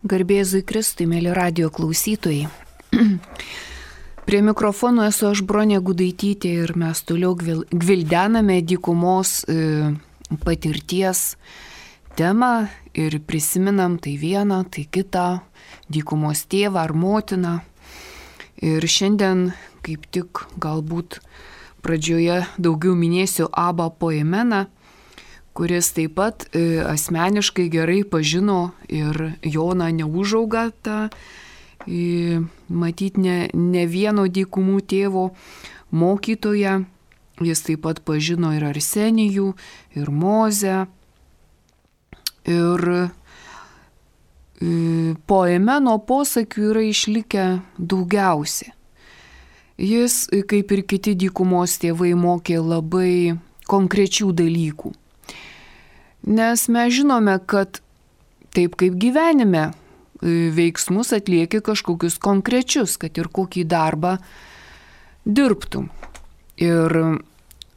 Garbė Jėzui Kristui, mėly radijo klausytojai. Prie mikrofono esu aš Bronė Gudaitytė ir mes toliau gvildename dykumos patirties temą ir prisiminam tai vieną, tai kitą, dykumos tėvą ar motiną. Ir šiandien kaip tik galbūt pradžioje daugiau minėsiu Abą Poimeną, kuris taip pat asmeniškai gerai pažino ir Joną Neužaugą, tą matyt ne vieno dykumų tėvo mokytoją. Jis taip pat pažino ir Arsenijų, ir Mozę. Ir Poimeno posakių yra išlikę daugiausiai. Jis, kaip ir kiti dykumos tėvai, mokė labai konkrečių dalykų. Nes mes žinome, kad taip kaip gyvenime veiksmus atlieki kažkokius konkrečius, kad ir kokį darbą dirbtum. Ir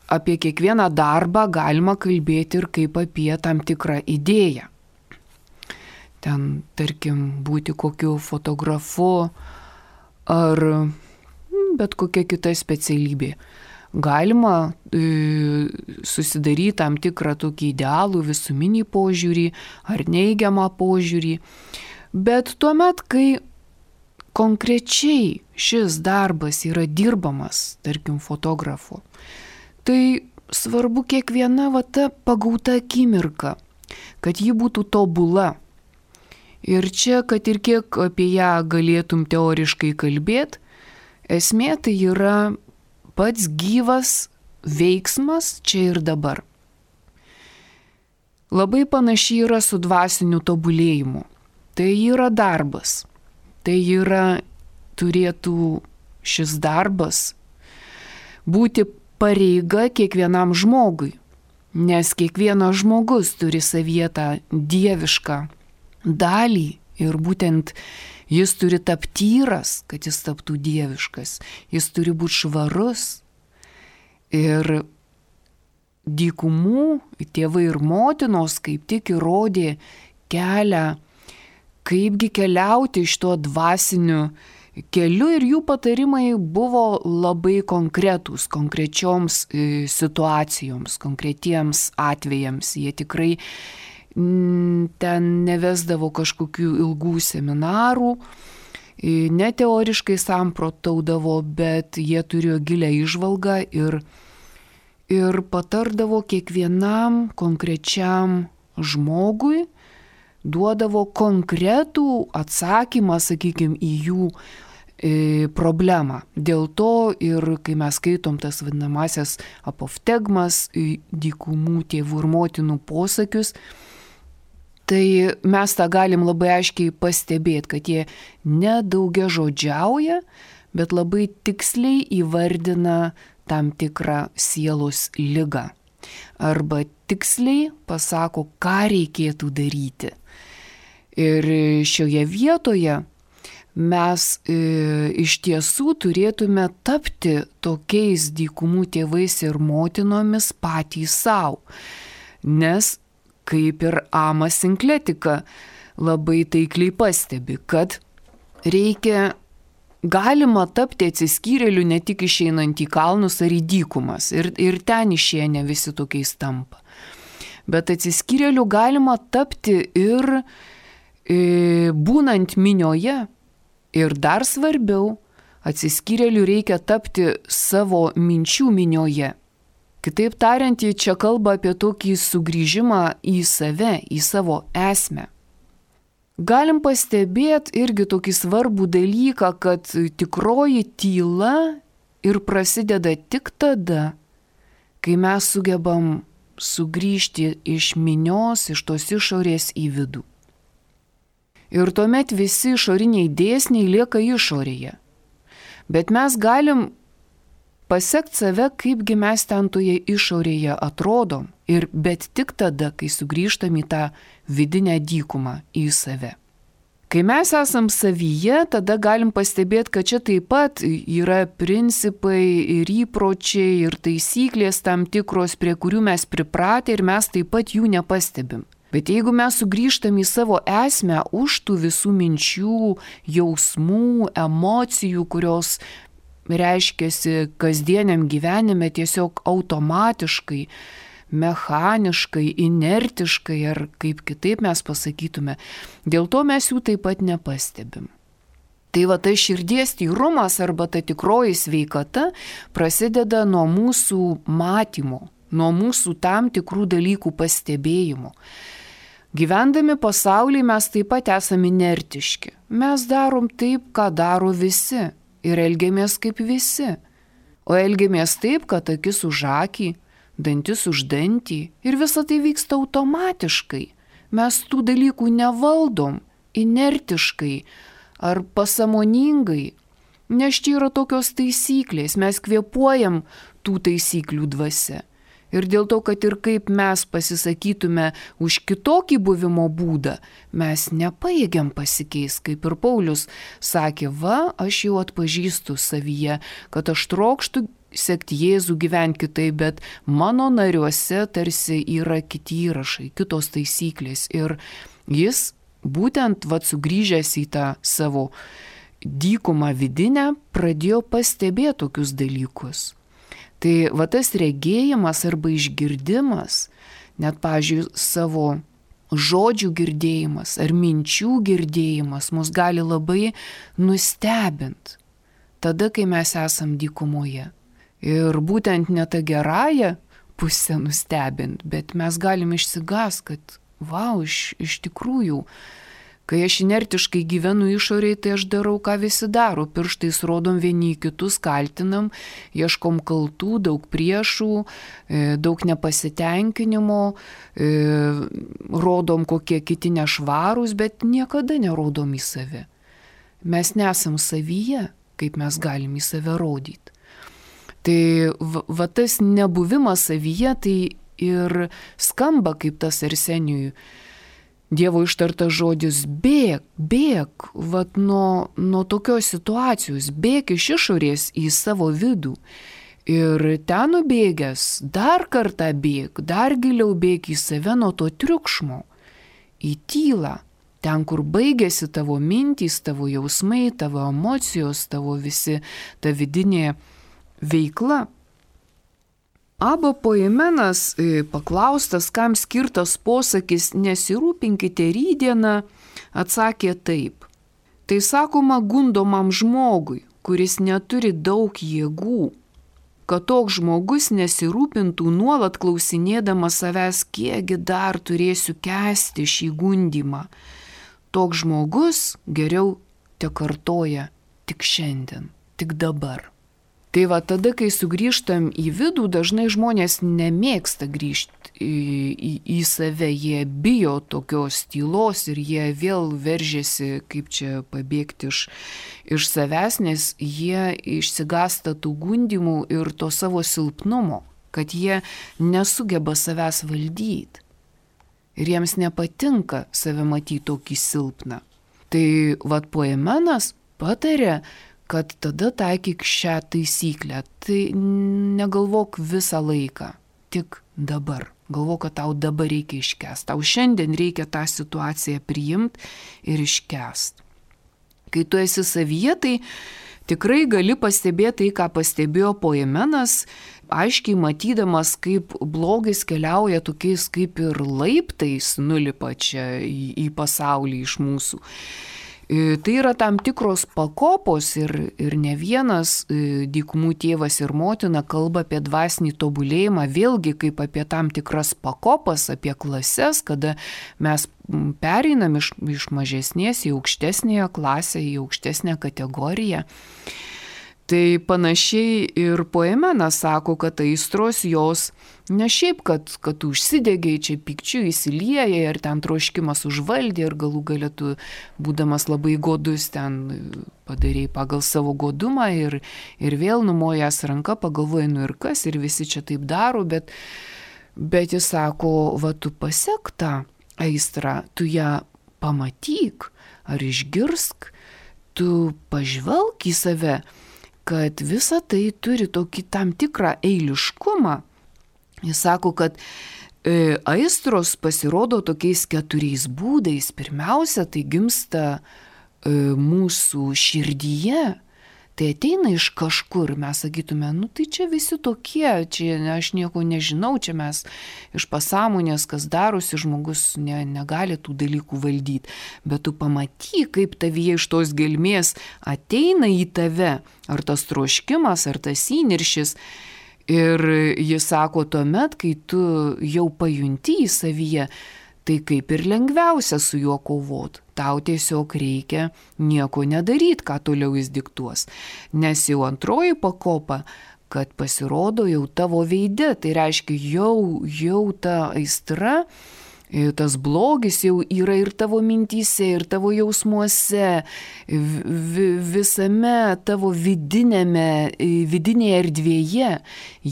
apie kiekvieną darbą galima kalbėti ir kaip apie tam tikrą idėją. Ten, tarkim, būti kokiu fotografu ar bet kokia kita specialybė. Galima susidaryti tam tikrą tokį idealų visuminį požiūrį ar neigiamą požiūrį. Bet tuomet, kai konkrečiai šis darbas yra dirbamas, tarkim, fotografo, tai svarbu kiekviena ta pagauta akimirka, kad ji būtų tobula. Ir čia, kad ir kiek apie ją galėtum teoriškai kalbėti, esmė tai yra pats gyvas veiksmas čia ir dabar. Labai panašiai yra su dvasiniu tobulėjimu. Tai yra darbas. Tai turėtų šis darbas būti pareiga kiekvienam žmogui. Nes kiekvienas žmogus turi savyje tą dievišką dalį ir būtent jis turi tapti tyras, kad jis taptų dieviškas. Jis turi būti švarus. Ir dykumų tėvai ir motinos kaip tik įrodė kelią, kaipgi keliauti iš to dvasiniu keliu, ir jų patarimai buvo labai konkretūs, konkrečioms situacijoms, konkretiems atvejams. Jie tikrai ten nevesdavo kažkokių ilgų seminarų, ne teoriškai samprotaudavo, bet jie turėjo gilią įžvalgą ir patardavo kiekvienam konkrečiam žmogui, duodavo konkretų atsakymą, sakykime, į jų problemą. Dėl to ir kai mes skaitom tas vadinamasias apoftegmas, dykumų tėvų ir motinų posakius, tai mes tą galim labai aiškiai pastebėti, kad jie nedaugiažodžiauja, bet labai tiksliai įvardina tam tikrą sielos ligą. Arba tiksliai pasako, ką reikėtų daryti. Ir šioje vietoje mes iš tiesų turėtume tapti tokiais dykumų tėvais ir motinomis patys savo. Nes kaip ir Amas Sinkletika labai taikliai pastebi, kad galima tapti atsiskyrėliu ne tik išeinant į kalnus ar į dykumas, ir ten išėję ne visi tokiais tampa. Bet atsiskyrėliu galima tapti ir būnant minioje, ir dar svarbiau, atsiskyrėliu reikia tapti savo minčių minioje. Kitaip tariant, jie čia kalba apie tokį sugrįžimą į save, į savo esmę. Galim pastebėti irgi tokį svarbų dalyką, kad tikroji tyla ir prasideda tik tada, kai mes sugebam sugrįžti iš minios, iš tos išorės į vidų. Ir tuomet visi išoriniai dėsniai lieka išorėje. Bet mes galim pasekti save, kaipgi mes ten toje išorėje atrodom, bet tik tada, kai sugrįžtam į tą vidinę dykumą, į save. Kai mes esam savyje, tada galim pastebėti, kad čia taip pat yra principai ir įpročiai ir taisyklės tam tikros, prie kurių mes pripratę ir mes taip pat jų nepastebim. Bet jeigu mes sugrįžtam į savo esmę už tų visų minčių, jausmų, emocijų, kurios reiškiasi kasdieniam gyvenime tiesiog automatiškai, mechaniškai, inertiškai ar kaip kitaip mes pasakytume, dėl to mes jų taip pat nepastebim. Tai va ta širdies tyrumas arba ta tikroji sveikata prasideda nuo mūsų matymo, nuo mūsų tam tikrų dalykų pastebėjimo. Gyvendami pasaulyje mes taip pat esame inertiški. Mes darom taip, ką daro visi ir elgiamės kaip visi. O elgiamės taip, kad akis už akį, dantis už dantį ir visa tai vyksta automatiškai. Mes tų dalykų nevaldom inertiškai ar pasąmoningai, nes čia yra tokios taisyklės, mes kvėpuojam tų taisyklių dvasia. Ir dėl to, kad ir kaip mes pasisakytume už kitokį buvimo būdą, mes nepajėgiam pasikeisti, kaip ir Paulius sakė, aš jau atpažįstu savyje, kad aš trokštu sekti Jėzų, gyventi kitaip, bet mano nariuose tarsi yra kiti įrašai, kitos taisyklės. Ir jis būtent sugrįžęs į tą savo dykumą vidinę, pradėjo pastebėti tokius dalykus. Tai tas regėjimas arba išgirdimas, net, pavyzdžiui, savo žodžių girdėjimas ar minčių girdėjimas mus gali labai nustebinti tada, kai mes esam dykumoje. Ir būtent ne tą gerąją pusę nustebinti, bet mes galim išsigąs, kad iš tikrųjų, kai aš inertiškai gyvenu išoriai, tai aš darau, ką visi daro. Pirštais rodom vieni į kitus, kaltinam, ieškom kaltų, daug priešų, daug nepasitenkinimo, rodom, kokie kiti nešvarūs, bet niekada nerodom į save. Mes nesam savyje, kaip mes galim į save rodyti. Tai tas nebuvimas savyje, tai ir skamba kaip tas Arsenijui Dievo ištartas žodis bėk nuo tokios situacijos, bėk iš išorės į savo vidų. Ir ten nubėgęs, dar kartą bėk, dar giliau bėk į save nuo to triukšmo, į tylą, ten, kur baigėsi tavo mintys, tavo jausmai, tavo emocijos, tavo visi, ta vidinė veikla. Abba Poimenas, paklaustas, kam skirtas posakis nesirūpinkite rytdieną, atsakė taip. Tai sakoma gundomam žmogui, kuris neturi daug jėgų, kad toks žmogus nesirūpintų nuolat klausinėdamas savęs, kiekgi dar turėsiu kęsti šį gundymą. Toks žmogus geriau tekartoja tik šiandien, tik dabar. Tai tada, kai sugrįžtam į vidų, dažnai žmonės nemėgsta grįžti į save, jie bijo tokios tylos ir jie vėl veržiasi, kaip čia pabėgti iš savęs, nes jie išsigąsta tų gundymų ir to savo silpnumo, kad jie nesugeba savęs valdyti. Ir jiems nepatinka save matyti tokį silpną. Tai Poimenas patarė, kad tada taikyk šią taisyklę. Tai negalvok visą laiką, tik dabar. Galvok, kad tau dabar reikia iškęsti. Tau šiandien reikia tą situaciją priimti ir iškęsti. Kai tu esi savyje, tai tikrai gali pastebėti tai, ką pastebėjo Poimenas, aiškiai matydamas, kaip blogis keliauja tokiais kaip ir laiptais nulipa čia į pasaulį iš mūsų. Tai yra tam tikros pakopos ir ne vienas dykumų tėvas ir motina kalba apie dvasinį tobulėjimą, vėlgi kaip apie tam tikras pakopas, apie klases, kada mes pereinam iš mažesnės į aukštesnėje klasę, į aukštesnę kategoriją. Tai panašiai ir Poimenas sako, kad aistros jos ne šiaip, kad užsidegiai čia pykčiu įsiliejai ar ten troškimas užvaldė ir galų gale tu, būdamas labai godus, ten padarėjai pagal savo godumą ir vėl numojęs ranką pagalvojai, ir kas, ir visi čia taip daro, bet jis sako, tu pasek tą aistrą, tu ją pamatyk ar išgirsk, tu pažvelk į save, kad visa tai turi tokį tam tikrą eiliškumą. Jis sako, kad Aistros pasirodo tokiais 4 būdais. Pirmiausia, tai gimsta mūsų širdyje. Tai ateina iš kažkur, mes sakytume, tai čia visi tokie, čia aš nieko nežinau, čia mes iš pasąmonės, kas darosi, žmogus negali tų dalykų valdyti. Bet tu pamatyk, kaip tavyje iš tos gelmės ateina į tave, ar tas troškimas, ar tas įniršis. Ir jis sako, tuomet, kai tu jau pajunti į savyje, tai kaip ir lengviausia su juo kovot. Tau tiesiog reikia nieko nedaryti, ką toliau jis diktuos. Nes jau antroji pakopa, kad pasirodo jau tavo veide, tai reiškia jau ta aistra, tas blogis jau yra ir tavo mintyse, ir tavo jausmuose, visame tavo vidinėje erdvėje,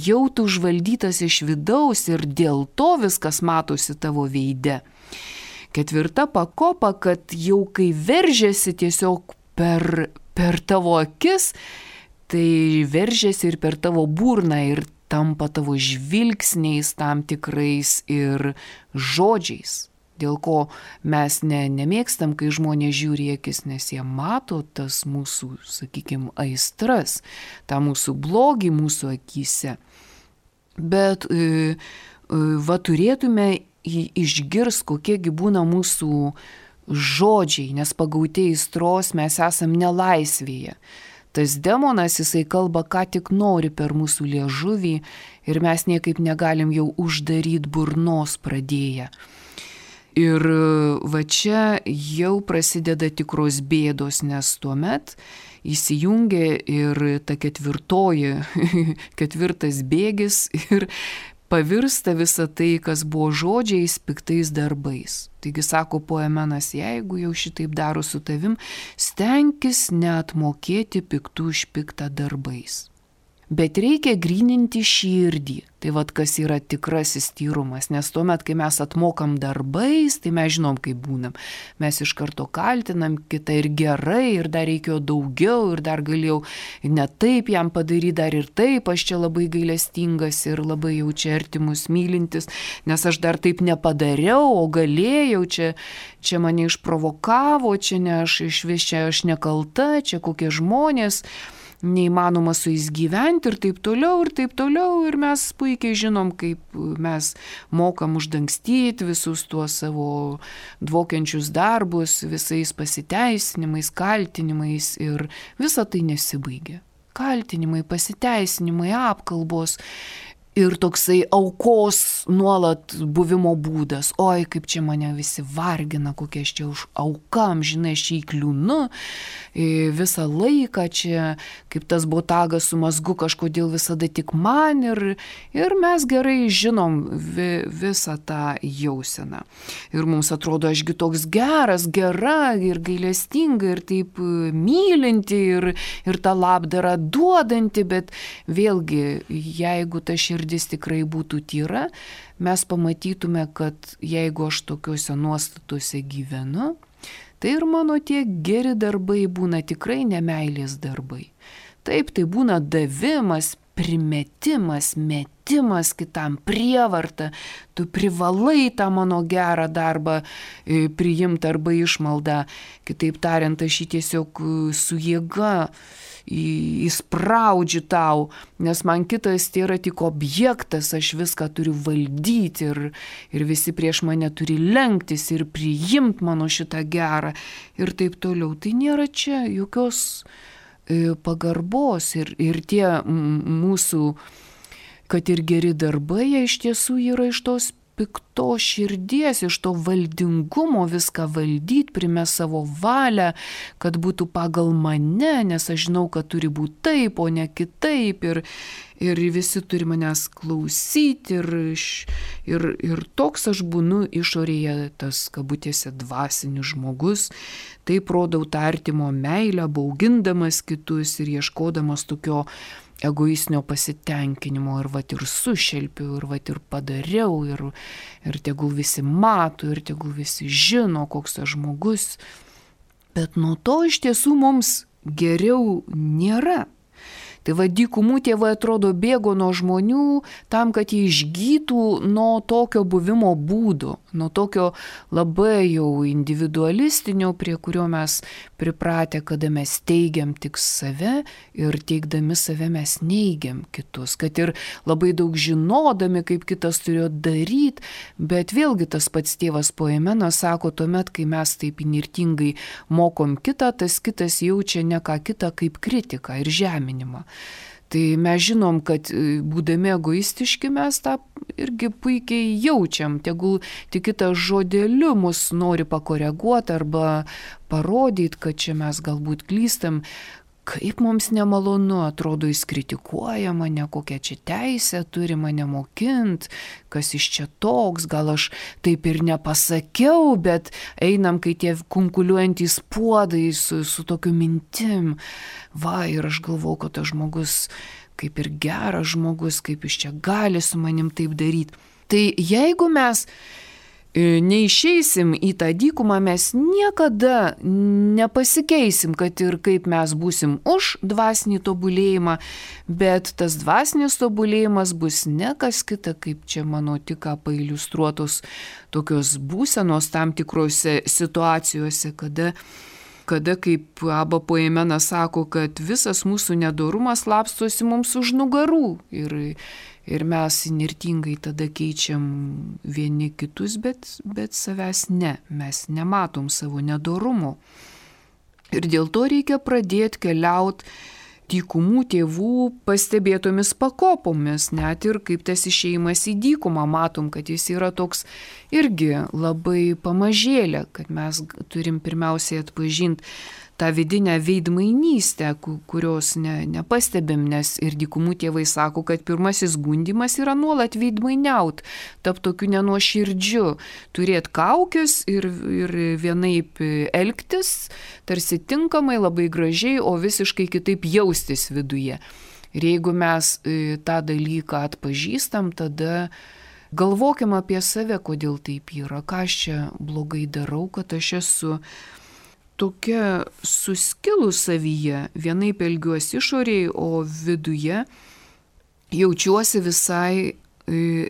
jau tu užvaldytas iš vidaus ir dėl to viskas matosi tavo veide. 4 pakopa, kad jau kai veržiasi tiesiog per tavo akis, tai veržiasi ir per tavo burną ir tampa tavo žvilgsniais tam tikrais ir žodžiais. Dėl ko mes nemėgstam, kai žmonės žiūri į akis, nes jie mato tas mūsų, sakykime, aistras, tą mūsų blogį mūsų akyse. Bet turėtume išgirs, kokiegi būna mūsų žodžiai, nes pagauti aistros mes esam nelaisvėje. Tas demonas, jisai kalba, ką tik nori per mūsų liežuvį ir mes niekaip negalim jau uždaryti burnos pradėję. Ir čia jau prasideda tikros bėdos, nes tuomet įsijungia ir ta 4. bėgis ir pavirsta visa tai, kas buvo žodžiais, piktais darbais. Taigi sako Poemenas, jeigu jau šitaip daro su tavim, stenkis neatmokėti piktų už piktą darbais. Bet reikia gryninti širdį. Tai kas yra tikrasis tyrumas, nes tuomet, kai mes atmokam darbais, tai mes žinom, kaip būnam. Mes iš karto kaltinam kitą ir gerai, ir dar reikėjo daugiau, ir dar galėjau ne taip jam padaryti, dar ir taip, aš čia labai gailestingas ir labai jau čia artimus mylintis, nes aš dar taip nepadariau, o galėjau, čia mane išprovokavo, čia ne aš išvis, čia aš nekalta, čia kokie žmonės, neįmanoma su jais gyventi ir taip toliau, ir mes puikiai žinom, kaip mes mokam uždangstyti visus tuos savo dvokiančius darbus, visais pasiteisinimais, kaltinimais ir visa tai nesibaigia. Kaltinimai, pasiteisinimai, apkalbos ir toksai aukos nuolat buvimo būdas. Oi, kaip čia mane visi vargina, kokie aš čia už aukam, žinai, aš čia įkliūnu visą laiką čia, kaip tas botagas su mazgu kažkodėl visada tik man ir mes gerai žinom visą tą jauseną. Ir mums atrodo, ašgi toks geras, gera ir gailestinga ir taip mylinti ir tą labdarą duodanti, bet vėlgi, jeigu ta širdis tikrai būtų tyra, mes pamatytume, kad jeigu aš tokiuose nuostatuose gyvenu, tai ir mano tie geri darbai būna tikrai nemeilės darbai. Taip, tai būna davimas, primetimas, metimas kitam, prievarta. Tu privalai tą mano gerą darbą priimti arba išmaldą. Kitaip tariant, aš jį tiesiog su jėga įspraudžiu tau, nes man kitas tai yra tik objektas, aš viską turiu valdyti ir visi prieš mane turi lenktis ir priimti mano šitą gerą ir taip toliau. Tai nėra čia jokios pagarbos ir tie mūsų, kad ir geri darbai, jie iš tiesų yra iš tos piktos širdies, iš to valdingumo viską valdyti, primest savo valią, kad būtų pagal mane, nes aš žinau, kad turi būti taip, o ne kitaip ir visi turi manęs klausyti ir toks aš būnu išorėje, tas kabutėse dvasinis žmogus, taip rodau tą artimo meilę, baugindamas kitus ir ieškodamas tokio egoistinio pasitenkinimo ir ir sušelpiu, ir padariau, ir tegul visi mato, ir tegul visi žino, koks tas žmogus. Bet nuo to iš tiesų mums geriau nėra. Tai va, dykumų tėvai atrodo bėgo nuo žmonių tam, kad jie išgytų nuo tokio buvimo būdo, nuo tokio labai jau individualistinio, prie kurio mes pripratę, kada mes teigiam tik save ir teigdami save mes neigiam kitus, kad ir labai daug žinodami, kaip kitas turėjo daryti, bet vėlgi tas pats tėvas Poimenas sako, tuomet, kai mes taip inirtingai mokom kitą, tas kitas jaučia ne ką kitą kaip kritiką ir žeminimą. Tai mes žinom, kad būdami egoistiški mes tą irgi puikiai jaučiam, tegul tik kitas žodeliu mus nori pakoreguoti arba parodyti, kad čia mes galbūt klystam. Kaip mums nemalonu, atrodo, jis kritikuoja mane, kokią čia teisę turi mane mokint, kas iš čia toks, gal aš taip ir nepasakiau, bet einam, kai tie kunkuliuojantys puodai su tokiu mintim. Va, ir aš galvau, kad tas žmogus kaip ir geras žmogus, kaip jis čia gali su manim taip daryti. Tai jeigu mes neišeisim į tą dykumą, mes niekada nepasikeisim, kad ir kaip mes būsim už dvasinį tobulėjimą, bet tas dvasinis tobulėjimas bus ne kas kita, kaip čia mano tik ką pailiustruotos tokios būsenos tam tikrose situacijose, kada kaip Abba Poimenas sako, kad visas mūsų nedorumas slapstosi mums už nugarų ir mes inirtingai tada keičiam vieni kitus, bet savęs ne, mes nematom savo nedorumo. Ir dėl to reikia pradėti keliauti dykumų tėvų pastebėtomis pakopomis, net ir kaip tas išėjimas į dykumą, matom, kad jis yra toks irgi labai pamažėlė, kad mes turim pirmiausiai atpažinti tą vidinę veidmainystę, kurios nepastebim, nes ir dykumų tėvai sako, kad pirmasis gundymas yra nuolat veidmainiaut, tap tokiu nenuoširdžiu, turėti kaukės ir vienaip elgtis, tarsi tinkamai, labai gražiai, o visiškai kitaip jaustis viduje. Ir jeigu mes tą dalyką atpažįstam, tada galvokim apie save, kodėl taip yra, ką aš čia blogai darau, kad aš esu tokia suskilus savyje, vienaip elgiuosi išoriai, o viduje jaučiuosi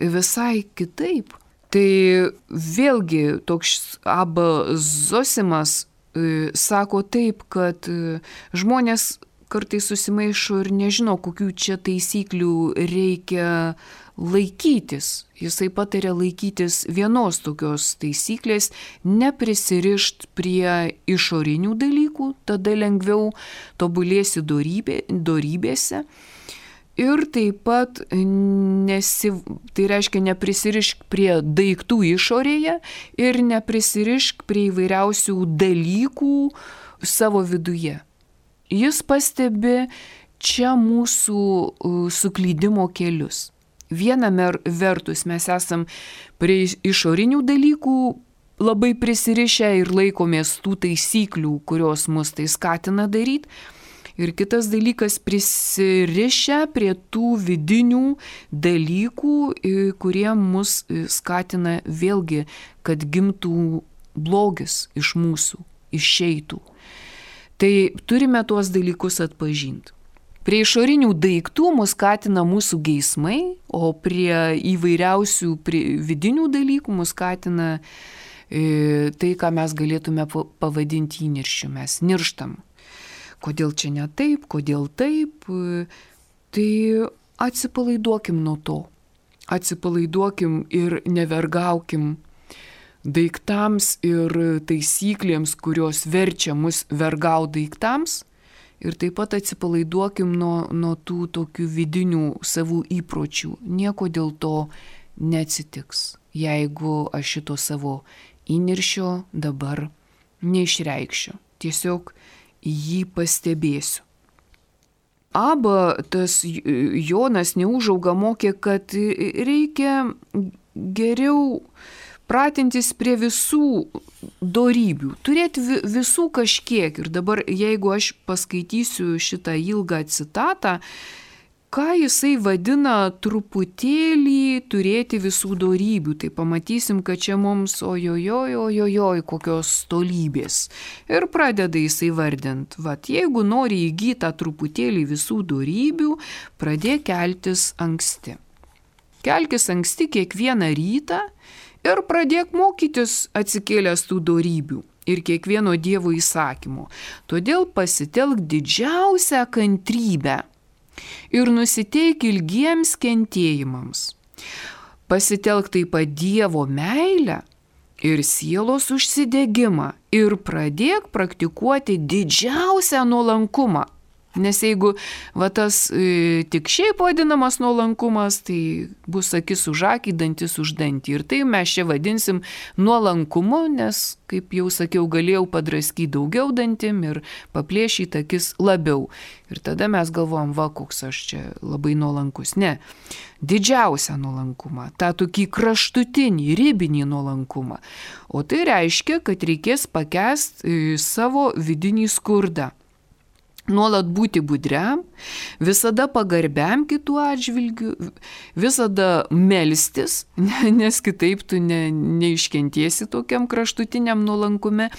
visai kitaip. Tai vėlgi toks Abba Zosimas sako taip, kad žmonės kartais susimaišo ir nežino, kokių čia taisyklių reikia laikytis. Jisai patarė laikytis vienos tokios taisyklės, neprisirišt prie išorinių dalykų, tada lengviau tobulėsi dorybėse. Ir taip pat tai reiškia neprisirišk prie daiktų išorėje ir neprisirišk prie įvairiausių dalykų savo viduje. Jis pastebi čia mūsų suklydimo kelius. Viena vertus mes esam prie išorinių dalykų labai prisirišę ir laikomės tų taisyklių, kurios mus tai skatina daryti. Ir kitas dalykas prisirišę prie tų vidinių dalykų, kurie mus skatina vėlgi, kad gimtų blogis iš mūsų, išeitų. Tai turime tuos dalykus atpažinti. Prie išorinių daiktų mus skatina mūsų geismai, o prie įvairiausių vidinių dalykų mus skatina tai, ką mes galėtume pavadinti įniršiu. Mes nirštam. Kodėl čia ne taip, kodėl taip? Tai atsipalaiduokim nuo to. Atsipalaiduokim ir nevergaukim daiktams ir taisyklėms, kurios verčia mus vergaut daiktams. Ir taip pat atsipalaiduokim nuo tų tokių vidinių savų įpročių. Nieko dėl to neatsitiks, jeigu aš šito savo įniršio dabar neišreikšiu. Tiesiog jį pastebėsiu. Abba, tas Jonas Neužauga mokė, kad reikia geriau pratintis prie visų dorybių, turėti visų kažkiek. Ir dabar, jeigu aš paskaitysiu šitą ilgą citatą, ką jisai vadina truputėlį turėti visų dorybių. Tai pamatysim, kad čia mums ojojoj, kokios tolybės. Ir pradeda jisai vardint. Vat, jeigu nori įgyti tą truputėlį visų dorybių, pradėk keltis anksti. Kelkis anksti kiekvieną rytą ir pradėk mokytis atsikėlęs tų dorybių ir kiekvieno Dievo įsakymo. Todėl pasitelk didžiausią kantrybę ir nusiteik ilgiems kentėjimams. Pasitelk taip pat Dievo meilę ir sielos užsidegimą ir pradėk praktikuoti didžiausią nuolankumą. Nes jeigu tas tik šiaip vadinamas nuolankumas, tai bus akis už akį, dantis už dantį. Ir tai mes čia vadinsim nuolankumu, nes, kaip jau sakiau, galėjau padraskyti daugiau dantim ir paplėšyti akis labiau. Ir tada mes galvojam, koks aš čia labai nuolankus. Ne, didžiausią nuolankumą, tą tokį kraštutinį, ribinį nuolankumą. O tai reiškia, kad reikės pakęsti savo vidinį skurdą. Nuolat būti budriam, visada pagarbiam kitų atžvilgių, visada melstis, nes kitaip tu neiškentiesi tokiam kraštutiniam nuolankume,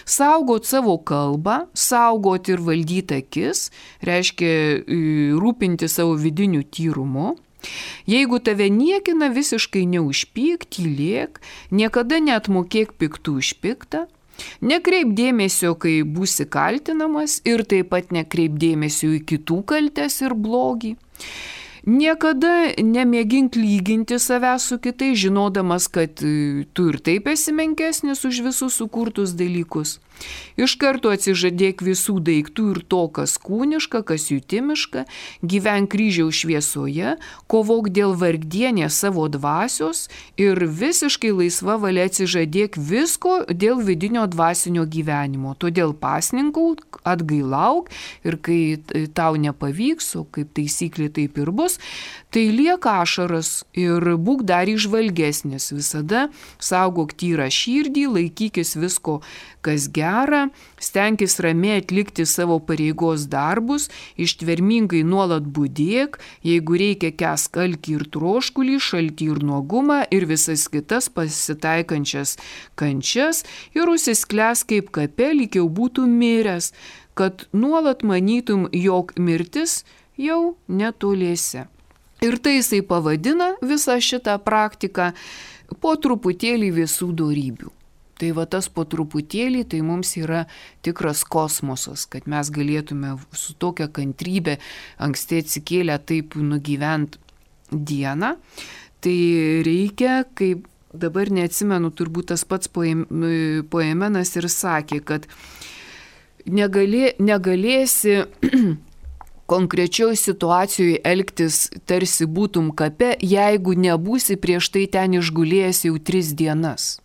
saugot savo kalbą, saugot ir valdyti akis, reiškia rūpinti savo vidiniu tyrumu. Jeigu tave niekina, visiškai neužpyk, tylėk, niekada neatmokėk piktų už piktą. Nekreip dėmesio, kai būsi kaltinamas ir taip pat nekreip dėmesio į kitų kaltes ir blogį. Niekada nemėgink lyginti savęs su kitais, žinodamas, kad tu ir taip esi menkesnis už visus sukurtus dalykus. Iš karto atsižadėk visų daiktų ir to, kas kūniška, kas jutimiška, gyvenk kryžiaus šviesoje, kovok dėl vargdienės savo dvasios ir visiškai laisva valia atsižadėk visko dėl vidinio dvasinio gyvenimo. Todėl pasninkauk, atgailauk ir kai tau nepavyks, o kaip taisyklė taip ir bus, tai liek ašaras ir būk dar įžvalgesnis. Visada saugok tyrą širdį, laikykis visko, kas gera, stenkis ramiai atlikti savo pareigos darbus, ištvermingai nuolat budėk, jeigu reikia kęsk alkį ir troškulį, šaltį ir nuogumą ir visas kitas pasitaikančias kančias ir užsisklesk kaip kape, lyg jau būtų miręs, kad nuolat manytum, jog mirtis jau netoliese. Ir tai jisai pavadina visą šitą praktiką po truputėlį visų dorybių. Tai tas po truputėlį, tai mums yra tikras kosmosas, kad mes galėtume su tokia kantrybė anksti atsikėlę taip nugyvent dieną. Tai reikia, kaip dabar neatsimenu, turbūt tas pats Poemenas ir sakė, kad negalėsi konkrečioje situacijoje elgtis tarsi būtum kape, jeigu nebūsi prieš tai ten išgulėjęs jau 3 dienas.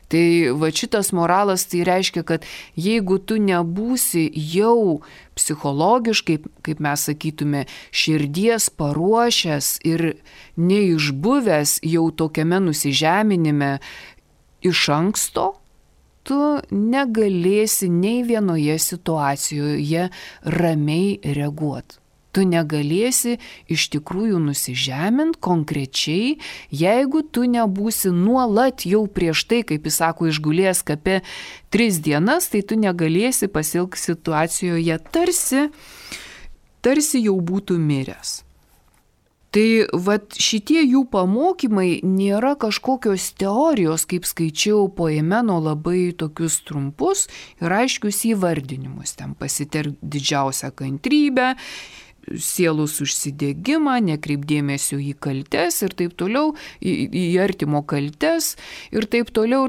Tai šitas moralas tai reiškia, kad jeigu tu nebūsi jau psichologiškai, kaip mes sakytume, širdies paruošęs ir neišbuvęs jau tokiame nusižeminime iš anksto, tu negalėsi nei vienoje situacijoje ramiai reaguoti. Tu negalėsi iš tikrųjų nusižemint konkrečiai, jeigu tu nebūsi nuolat jau prieš tai, kaip jis sako, išgulėjęs kape 3 dienas, tai tu negalėsi pasielgti situacijoje tarsi jau būtų miręs. Tai šitie jų pamokymai nėra kažkokios teorijos, kaip skaičiau Poemeno labai tokius trumpus ir aiškius įvardinimus. Ten pasitelk didžiausią kantrybę, sielos užsidegimą, nekreip dėmesio į kaltes ir taip toliau, į artimo kaltes ir taip toliau.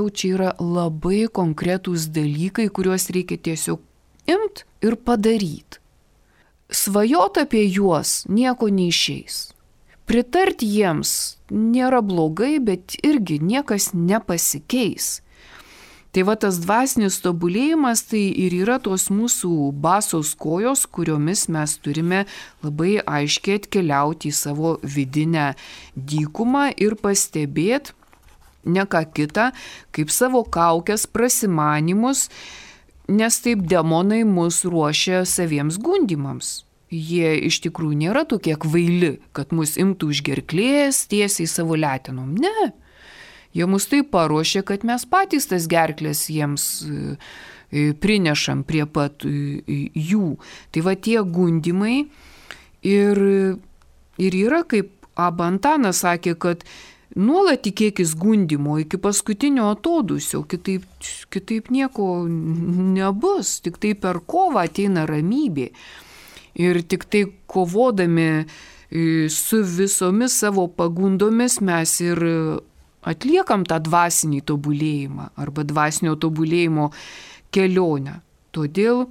Čia yra labai konkretūs dalykai, kuriuos reikia tiesiog imt ir padaryti. Svajot apie juos nieko neišeis. Pritart jiems nėra blogai, bet irgi niekas nepasikeis. Tai tas dvasinis tobulėjimas tai ir yra tos mūsų basos kojos, kuriomis mes turime labai aiškiai atkeliauti į savo vidinę dykumą ir pastebėti ne ką kitą, kaip savo kaukės prasimanimus, nes taip demonai mus ruošia saviems gundymams. Jie iš tikrųjų nėra tokie kvaili, kad mus imtų už gerklės tiesiai savo letenom. Ne. Jie mus taip paruošė, kad mes patys tas gerklės jiems prinešam prie pat jų. Tai va tie gundimai ir yra, kaip Abba Antanas sakė, kad nuolat tikėkis gundimo iki paskutinio atodūsio, kitaip nieko nebus, tik tai per kovą ateina ramybė. Ir tik tai kovodami su visomis savo pagundomis mes ir atliekam tą dvasinį tobulėjimą arba dvasinio tobulėjimo kelionę. Todėl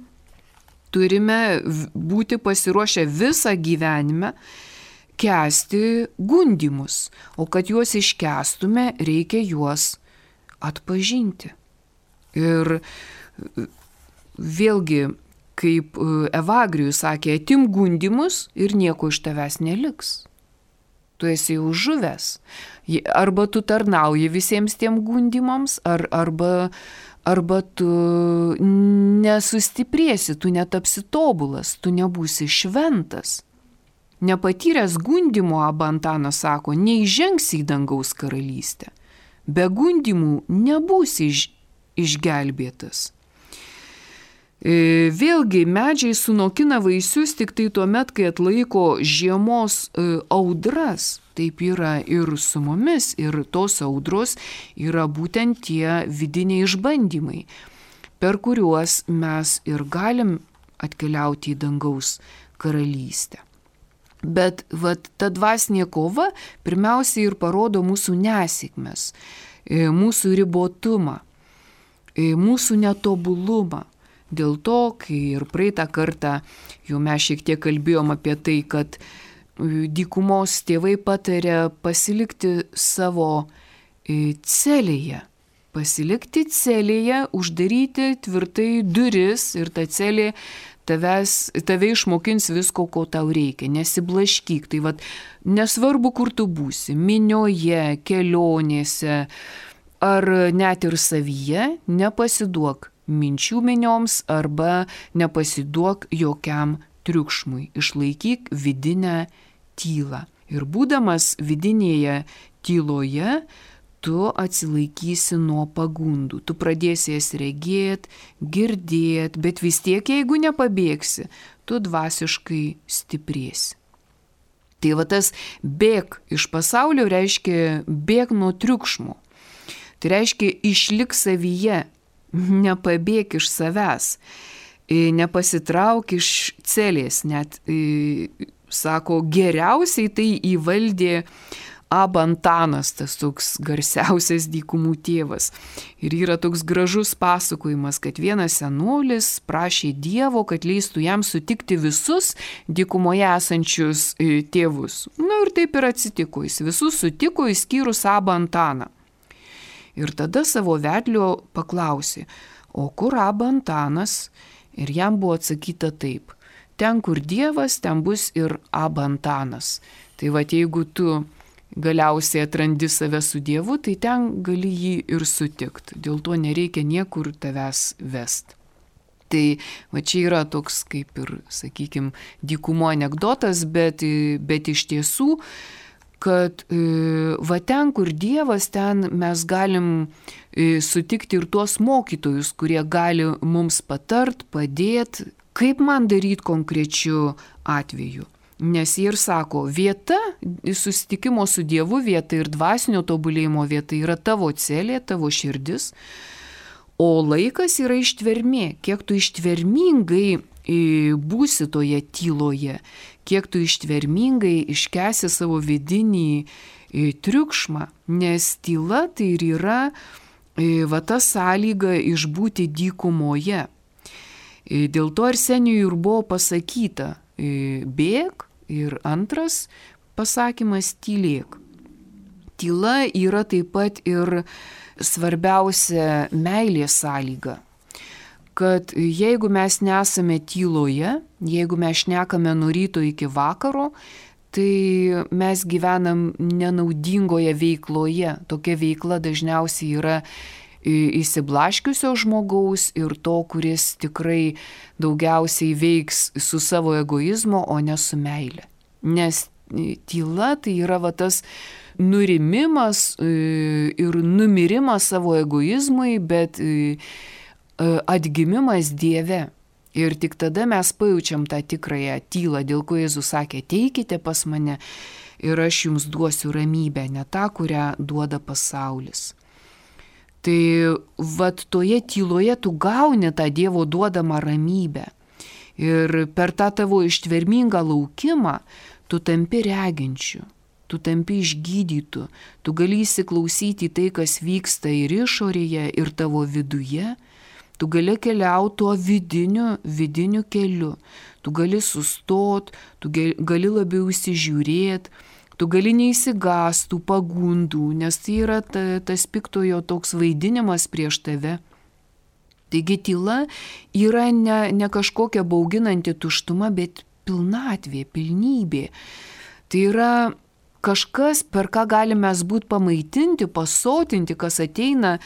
turime būti pasiruošę visą gyvenimą kęsti gundimus, o kad juos iškęstume, reikia juos atpažinti. Ir vėlgi, kaip Evagrijus sakė, atim gundimus ir nieko iš tavęs neliks. Tu esi jau žuvęs. Arba tu tarnauji visiems tiem gundimams, arba tu nesustiprėsi, tu netapsi tobulas, tu nebūsi šventas. Nepatyręs gundimo, Abba Antanas sako, neįžengsi į dangaus karalystę. Be gundimų nebūsi išgelbėtas. Vėlgi, medžiai sunokina vaisius tik tai tuomet, kai atlaiko žiemos audras. Taip yra ir su mumis, ir tos audros yra būtent tie vidiniai išbandymai, per kuriuos mes ir galim atkeliauti į dangaus karalystę. Bet ta dvasinė kova pirmiausiai ir parodo mūsų nesėkmes, mūsų ribotumą, mūsų netobulumą. Dėl to, kai ir praeitą kartą jau mes šiek tiek kalbėjom apie tai, kad dykumos tėvai patarė pasilikti savo celėje. Pasilikti celėje, uždaryti tvirtai duris ir ta celė tave išmokins visko, ko tau reikia. Nesiblaškyk. Tai nesvarbu, kur tu būsi, minioje, kelionėse ar net ir savyje, nepasiduok minčių minioms arba nepasiduok jokiam triukšmui. Išlaikyk vidinę tylą. Ir būdamas vidinėje tyloje, tu atsilaikysi nuo pagundų. Tu pradėsi jas regėti, girdėti, bet vis tiek, jeigu nepabėgsi, tu dvasiškai stiprėsi. Tai tas bėk iš pasaulio reiškia bėk nuo triukšmo. Tai reiškia išlik savyje, nepabėk iš savęs, nepasitrauk iš celės. Net, sako, geriausiai tai įvaldė Abba Antanas, tas toks garsiausias dykumų tėvas. Ir yra toks gražus pasakojimas, kad vienas senolis prašė Dievo, kad leistų jam sutikti visus dykumoje esančius tėvus. Na ir taip ir atsitiko, jis visus sutiko, išskyrus Abba Antaną. Ir tada savo vedlio paklausė, o kur Abba Antanas? Ir jam buvo atsakyta taip, ten kur Dievas, ten bus ir Abba Antanas. Tai jeigu tu galiausiai atrandi save su Dievu, tai ten gali jį ir sutikti. Dėl to nereikia niekur tavęs vest. Tai čia yra toks kaip ir, sakykime, dykumo anekdotas, bet iš tiesų, kad ten, kur Dievas, ten mes galim sutikti ir tuos mokytojus, kurie gali mums patart, padėti, kaip man daryti konkrečiu atveju. Nes jie ir sako, vieta, susitikimo su Dievu vieta ir dvasinio tobulėjimo vieta yra tavo celė, tavo širdis, o laikas yra ištvermė. Kiek tu ištvermingai būsi toje tyloje, kiek tu ištvermingai iškęsi savo vidinį triukšmą, nes tyla tai ir yra ta sąlyga išbūti dykumoje. Dėl to Arsenijui ir buvo pasakyta, bėk, ir antras pasakymas tylėk. Tyla yra taip pat ir svarbiausia meilės sąlyga. Kad jeigu mes nesame tyloje, jeigu mes šnekame nuo ryto iki vakaro, tai mes gyvenam nenaudingoje veikloje. Tokia veikla dažniausiai yra įsiblaškiusio žmogaus ir to, kuris tikrai daugiausiai veiks su savo egoizmu, o ne su meile. Nes tyla tai yra tas nurimimas ir numirimas savo egoizmui, bet atgimimas Dieve. Ir tik tada mes pajaučiam tą tikrąją tylą, dėl ko Jėzus sakė, ateikite pas mane ir aš jums duosiu ramybę, ne tą, kurią duoda pasaulis. Tai toje tyloje tu gauni tą Dievo duodamą ramybę. Ir per tą tavo ištvermingą laukimą tu tampi reginčiu, tu tampi išgydytu, tu gali įsiklausyti tai, kas vyksta ir išorėje, ir tavo viduje. Tu gali keliauti tuo vidiniu keliu, tu gali sustot, tu gali labiau įsižiūrėti, tu gali neįsigąsti tų pagundų, nes tai yra tas piktojo toks vaidinimas prieš tave. Taigi tyla yra ne kažkokia bauginanti tuštuma, bet pilnatvė, pilnybė. Tai yra kažkas, per ką galime mes būti pamaitinti, pasotinti, kas ateina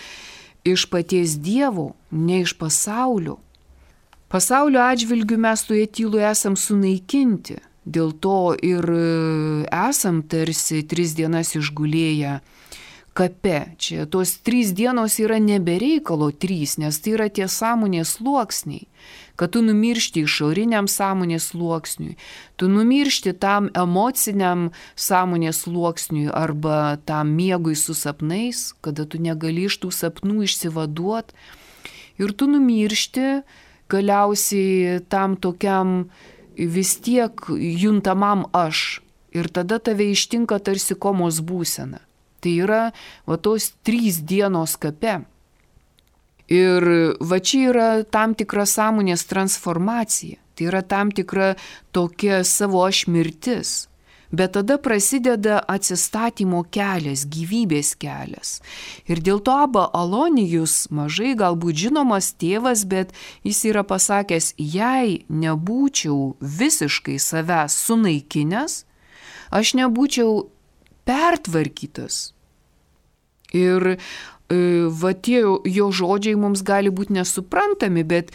iš paties Dievo, ne iš pasaulio. Pasaulio atžvilgiu mes toje tyloje esam sunaikinti, dėl to ir esam tarsi 3 dienas išgulėję kape. Čia tos 3 dienos yra nebereikalo 3, nes tai yra tie sąmonės sluoksniai, kad tu numiršti išoriniam sąmonės sluoksniui, tu numiršti tam emociniam sąmonės sluoksniui arba tam miegui su sapnais, kada tu negali iš tų sapnų išsivaduot, ir tu numiršti galiausiai tam tokiam vis tiek juntamam aš, ir tada tave ištinka tarsi komos būsena. Tai yra tos 3 dienos kape. Ir čia yra tam tikra sąmonės transformacija, tai yra tam tikra tokia savo aš mirtis. Bet tada prasideda atsistatymo kelias, gyvybės kelias. Ir dėl to Abba Alonijus, mažai galbūt žinomas tėvas, bet jis yra pasakęs, jei nebūčiau visiškai savęs sunaikinęs, aš nebūčiau pertvarkytas. Ir tie jo žodžiai mums gali būti nesuprantami, bet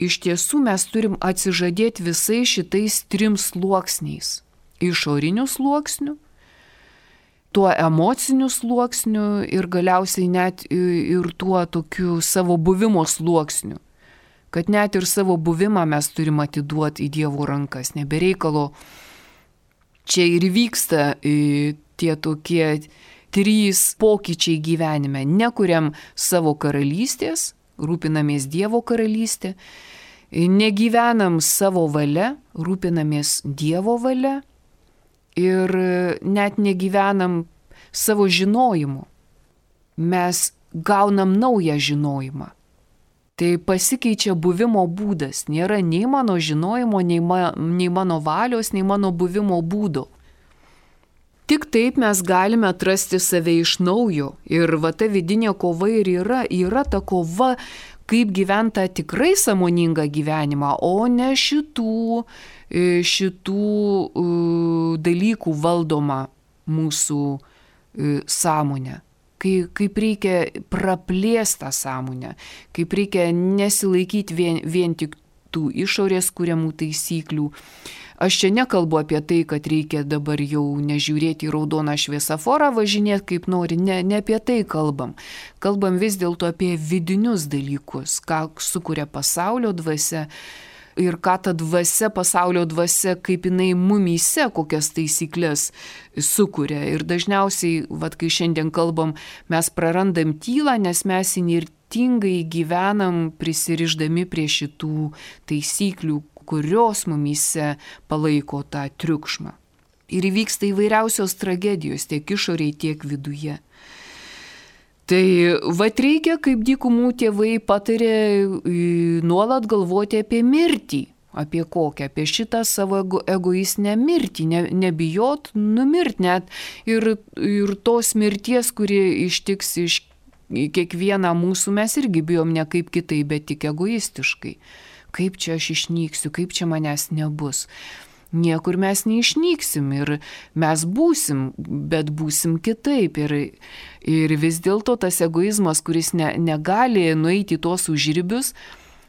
iš tiesų mes turim atsižadėti visais šitais 3 sluoksniais. Išorinių sluoksnių, tuo emociniu sluoksniu ir galiausiai net ir tuo tokiu savo buvimo sluoksniu. Kad net ir savo buvimą mes turim atiduoti į Dievo rankas. Nebereikalo čia ir vyksta tie tokie 3 pokyčiai gyvenime. Nekuriam savo karalystės, rūpinamės Dievo karalystė, negyvenam savo valia, rūpinamės Dievo valia ir net negyvenam savo žinojimu. Mes gaunam naują žinojimą. Tai pasikeičia buvimo būdas. Nėra nei mano žinojimo, nei mano valios, nei mano buvimo būdo. Tik taip mes galime atrasti save iš naujo. Ir ta vidinė kova ir yra ta kova, kaip gyventa tikrai sąmoningą gyvenimą, o ne šitų dalykų valdoma mūsų sąmonė. Kaip reikia praplėstą sąmonę, kaip reikia nesilaikyti vien tik tų išorės kuriamų taisyklių. Aš čia nekalbu apie tai, kad reikia dabar jau nežiūrėti į raudoną šviesaforą, važinėti kaip nori, ne apie tai kalbam. Kalbam vis dėlto apie vidinius dalykus, ką sukuria pasaulio dvasia ir ką ta dvasia, pasaulio dvasia, kaip jinai mumyse, kokias taisyklės sukuria. Ir dažniausiai, kai šiandien kalbam, mes prarandam tylą, nes mes įnirtingai gyvenam prisirišdami prie šitų taisyklių, kurios mumyse palaiko tą triukšmą. Ir įvyksta įvairiausios tragedijos tiek išoriai, tiek viduje. Tai reikia, kaip dykumų tėvai patarė, nuolat galvoti apie mirtį. Apie kokią? Apie šitą savo egoistinę mirtį. Nebijot numirti net. Ir tos mirties, kuri ištiks iš kiekvieną mūsų, mes irgi bijom ne kaip kitai, bet tik egoistiškai. Kaip čia aš išnyksiu, kaip čia manęs nebus. niekur mes neišnyksim ir mes būsim, bet būsim kitaip. Ir vis dėlto tas egoizmas, kuris negali nueiti į tuos užribius,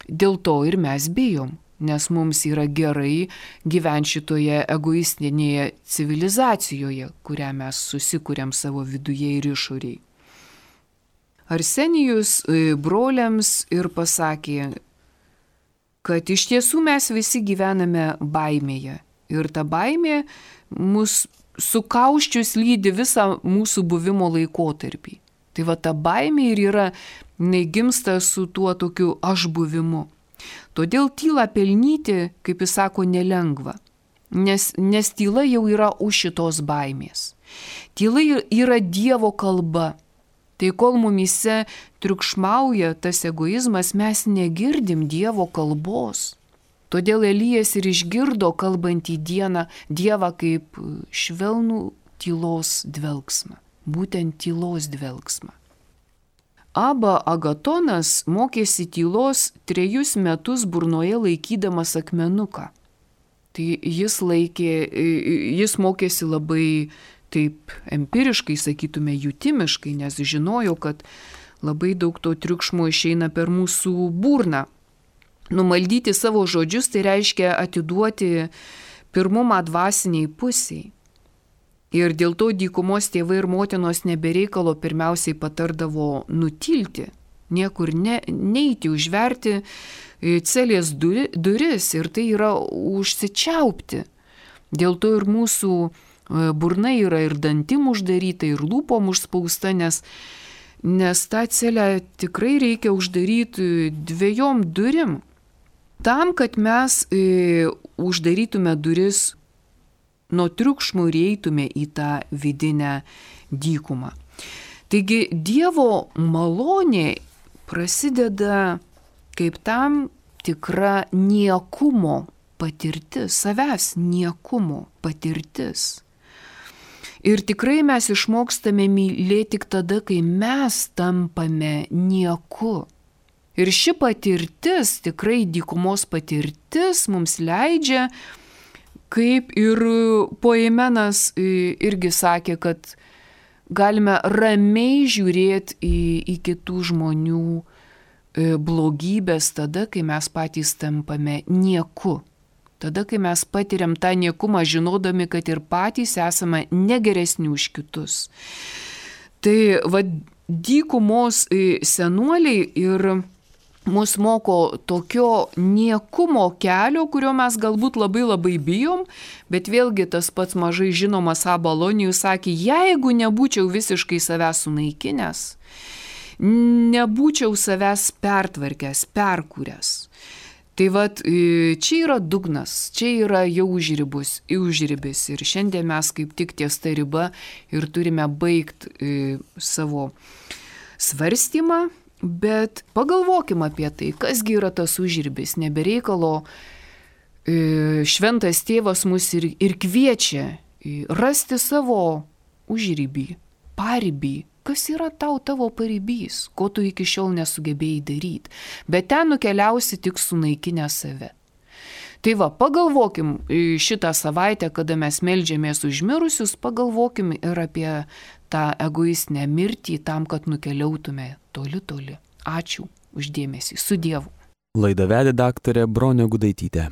dėl to ir mes bijom. Nes mums yra gerai gyventi šitoje egoistinėje civilizacijoje, kurią mes susikuriam savo viduje ir išoriai. Arsenijus broliams ir pasakė, kad iš tiesų mes visi gyvename baimėje. Ir ta baimė mus sukauščius lydi visą mūsų buvimo laikotarpį. Tai va ta baimė ir yra, gimsta su tuo tokiu aš buvimu. Todėl tylą pelnyti, kaip jis sako, nelengva, nes tyla jau yra už šitos baimės. Tyla yra Dievo kalba. Tai kol mumyse triukšmauja tas egoizmas, mes negirdim Dievo kalbos. Todėl Elijas ir išgirdo kalbantį Dievą kaip švelnų tylos dvelgsmą, būtent tylos dvelgsmą. Abba Agatonas mokėsi tylos 3 metus burnoje laikydamas akmenuką. Tai jis mokėsi labai taip empiriškai, sakytume, jutimiškai, nes žinojo, kad labai daug to triukšmo išeina per mūsų burną. Numaldyti savo žodžius tai reiškia atiduoti pirmumą dvasiniai pusiai. Ir dėl to dykumos tėvai ir motinos nebereikalo pirmiausiai patardavo nutilti, niekur neiti, užverti celės duris ir tai yra užsičiaupti. Dėl to ir mūsų burna yra ir dantim uždaryta, ir lūpom užspausta, nes tą celę tikrai reikia uždaryti 2 durim. Tam, kad mes uždarytume duris nuo triukšmų ir eitume į tą vidinę dykumą. Taigi Dievo malonė prasideda kaip tam tikra niekumo patirtis, savęs niekumo patirtis. Ir tikrai mes išmokstame mylėti tik tada, kai mes tampame nieku. Ir ši patirtis, tikrai dykumos patirtis, mums leidžia, kaip ir Poimenas irgi sakė, kad galime ramiai žiūrėti į kitų žmonių blogybės tada, kai mes patys tampame nieku. Tada, kai mes patiriam tą niekumą, žinodami, kad ir patys esame negeresni už kitus. Tai dykumos senuoliai ir mus moko tokio niekumo kelio, kurio mes galbūt labai bijom, bet vėlgi tas pats mažai žinomas Abalonijus sakė, jeigu nebūčiau visiškai savęs sunaikinęs, nebūčiau savęs pertvarkęs, perkūręs. Tai čia yra dugnas, čia yra jau užribis ir šiandien mes kaip tik ties ta riba ir turime baigti savo svarstymą. Bet pagalvokim apie tai, kasgi yra tas užribis, nebereikalo šventas tėvas mus ir kviečia rasti savo užribį, paribį, kas yra tavo paribys, ko tu iki šiol nesugebėjai daryti, bet ten nukeliausi tik sunaikinę save. Tai pagalvokim šitą savaitę, kada mes meldžiamės už mirusius, pagalvokim ir apie tą egoistinę mirtį tam, kad nukeliautume toli. Ačiū už dėmesį. Su Dievu. Laidą vedė daktarė Bronė Gudaitytė.